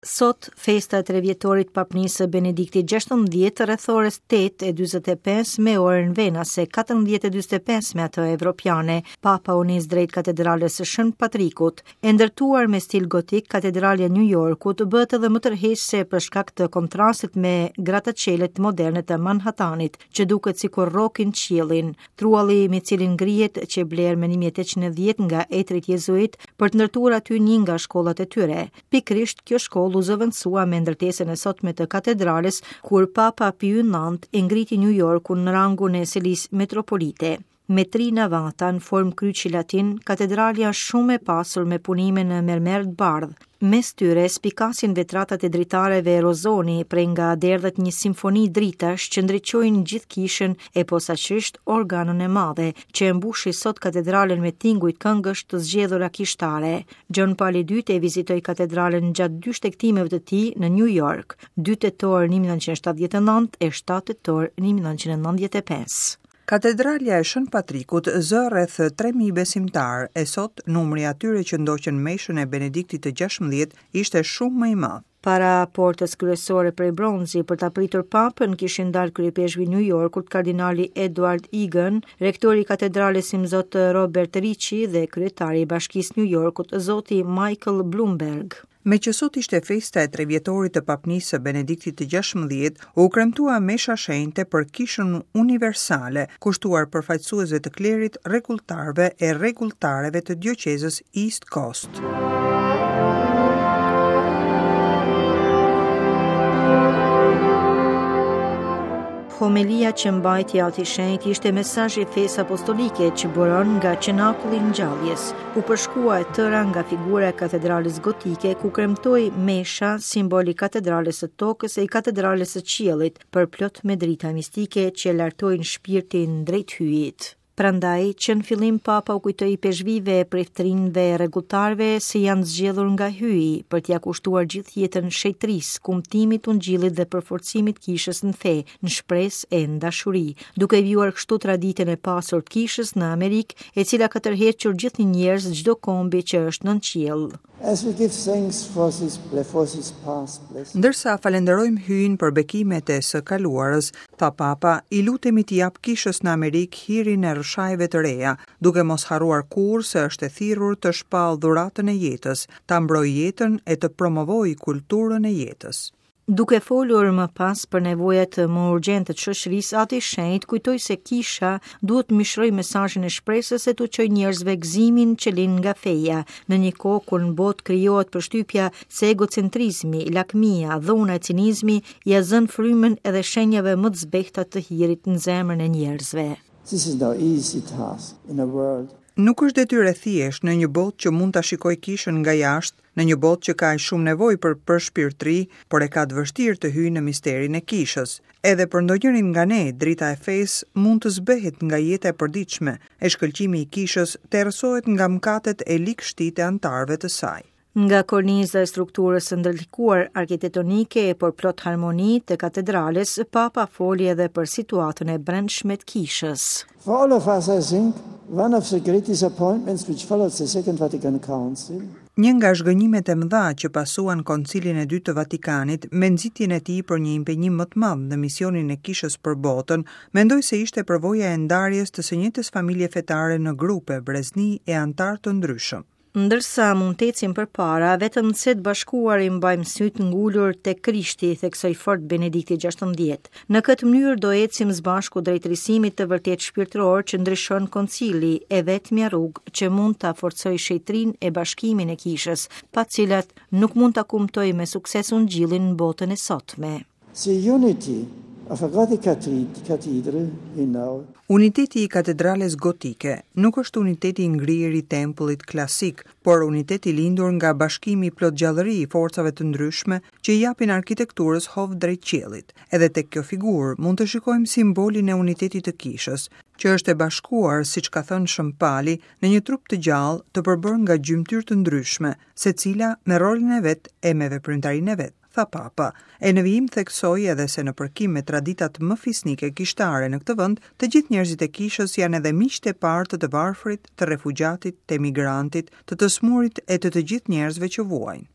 Sot, festa e trevjetorit papnisë së Benediktit 16 rreth orës 8:45 me orën venase, 14:45 me atë evropiane, Papa u nis drejt katedrales së Shën Patrikut. E ndërtuar me stil gotik, katedralja e New Yorkut bëhet edhe më tërheqëse për shkak të kontrastit me grataçelet moderne të Manhattanit, që duket sikur rrokin qiellin. Trualli mbi të cilin ngrihet qe blerë më 1810 nga etërit jezuitë për të ndërtuar aty një nga shkollat e tyre. Pikërisht kjo shkollë u zëvendësua me ndërtesën e sotme të katedrales kur Papa Piu IX e ngriti New Yorkun në rangun e selisë metropolite. Me tri navata në formë kryqi latin, katedralja është shumë e pasur me punime në mermer të bardhë. Mes tyre spikasin vetratat e dritareve Rozoni, prej nga derdhet një simfoni dritash që ndriçojnë gjithë kishën e posaçërisht organën e madhe, që e mbushi sot katedralen me tinguj këngësh të zgjedhura kishtare. Gjon Pali II e vizitoi katedralen gjatë dy shtegtimeve të tij në New York, 2 tetor 1979 e 7 tetor 1995. Katedralja e Shën Patrikut zë rreth 3000 besimtarë e sot numri i atyre që ndoqën meshën e Benediktit të 16 ishte shumë më i madh. Para portës kryesore prej bronzi për ta pritur papën kishin dalë kryeipeshkvi i New Yorkut, kardinali Edward Egan, rektori i katedrales Imzot Robert Ricci dhe kryetari i bashkisë New Yorkut, zoti Michael Bloomberg. Meqë sot ishte festa e trevjetorit të papnisë së Benediktit të 16, u kremtua mesha shenjte për Kishën Universale, kushtuar përfaqësuesve të klerit, rregulltarëve e rregulltareve të dioqezës East Coast. Homelia që mbajti Ati i Shenjtë ishte mesazh i fesë apostolike që buron nga cenakulli i ngjalljes. U përshkua e tëra nga figura e katedrales gotike ku kremtohej mesha, simbol i katedrales së tokës e i katedrales së qiellit, përplot me drita mistike që e lartojnë shpirtin drejt Hyjit. Prandaj, që në fillim Papa u kujtoi ipeshkvijve, priftërinjve e rregulltarëve se janë zgjedhur nga Hyji për t'ia kushtuar gjithë jetën shenjtërisë, kumtimit ungjillit dhe përforcimit kishës në fe, në shpresë e në dashuri, duke vijuar kështu traditën e pasur të kishës në Amerikë, e cila ka tërhequr gjithnjë njerëz çdo kombi që është nën qiell. As we give thanks for this, for this past blessing. Ndërsa falënderojmë Hyjin për bekimet e së kaluarës, tha Papa, i lutemi t'i japë Kishës në Amerikë hirin e rrëshajëve të reja, duke mos harruar kurrë se është e thirrur të shpallë dhuratën e jetës, ta mbrojë jetën e të promovojë kulturën e jetës. Duke folur më pas për nevojat më urgjente të shoqërisë, Ati i Shenjtë kujtoi se kisha duhet të mishërojë mesazhin e shpresës e t'u çojë njerëzve gëzimin që lind nga feja, në një kohë kur në botë krijohet përshtypja se egocentrizmi, lakmia, dhuna e cinizmi ia zënë frymën edhe shenjave më të zbehta të hirit në zemrën e njerëzve. This is no easy task in a world Nuk është detyrë e thjeshtë në një botë që mund ta shikojë kishën nga jashtë, në një botë që ka aq shumë nevojë për përshpirtëri, por e ka të vështirë të hyjë në misterin e kishës. Edhe për ndonjërin nga ne, drita e fesë mund të zbehet nga jeta e përditshme, e shkëlqimi i kishës të errësohet nga mëkatet e ligështitë e anëtarëve të saj. Nga korniza e strukturës së ndërlikuar arkitektonike e por plot harmoni të katedrales, Papa foli edhe për situatën e brendshme të kishës. For all of us, I think, one of the great disappointments which followed the Second Vatican Council, Një nga zhgënjimet e mëdha që pasuan Koncilin e Dytë të Vatikanit, me nxitjen e tij për një impenjim më të madh në misionin e Kishës për botën, mendoj se ishte përvoja e ndarjes të së njëjtës familje fetare në grupe, brezni e anëtarë të ndryshëm. Ndërsa mund të ecim përpara, vetëm se të bashkuar i mbajmë sytë ngulur tek Krishti, theksoi fort Benedikti XVI. Në këtë mënyrë do ecim së bashku drejt risimit të vërtetë shpirtëror që ndryshon koncili, e vetmja rrugë që mund ta forcojë shenjtërinë e bashkimin e kishës, pa të cilat nuk mund ta kumtojë me sukses ungjillin në botën e sotme. The unity of a Gothic cathedral, we know. Uniteti i katedrales gotike nuk është uniteti i ngrirë i tempullit klasik, por unitet i lindur nga bashkimi plot gjallëri i forcave të ndryshme që i japin arkitekturës hov drejt qiellit. Edhe tek kjo figurë mund të shikojmë simbolin e unitetit të kishës, që është e bashkuar, siç ka thënë Shën Pali, në një trup të gjallë, të përbërë nga gjymtyrë të ndryshme, secila me rolin e vet e me veprimtarinë e vet. tha Papa. E në vijim theksoi edhe se në përkim me traditat më fisnike kishtare në këtë vend, të gjithë njerëzit e kishës janë edhe miqtë e parë të të varfrit, të refugjatit, të emigrantit, të të sëmurit e të të gjithë njerëzve që vuajnë.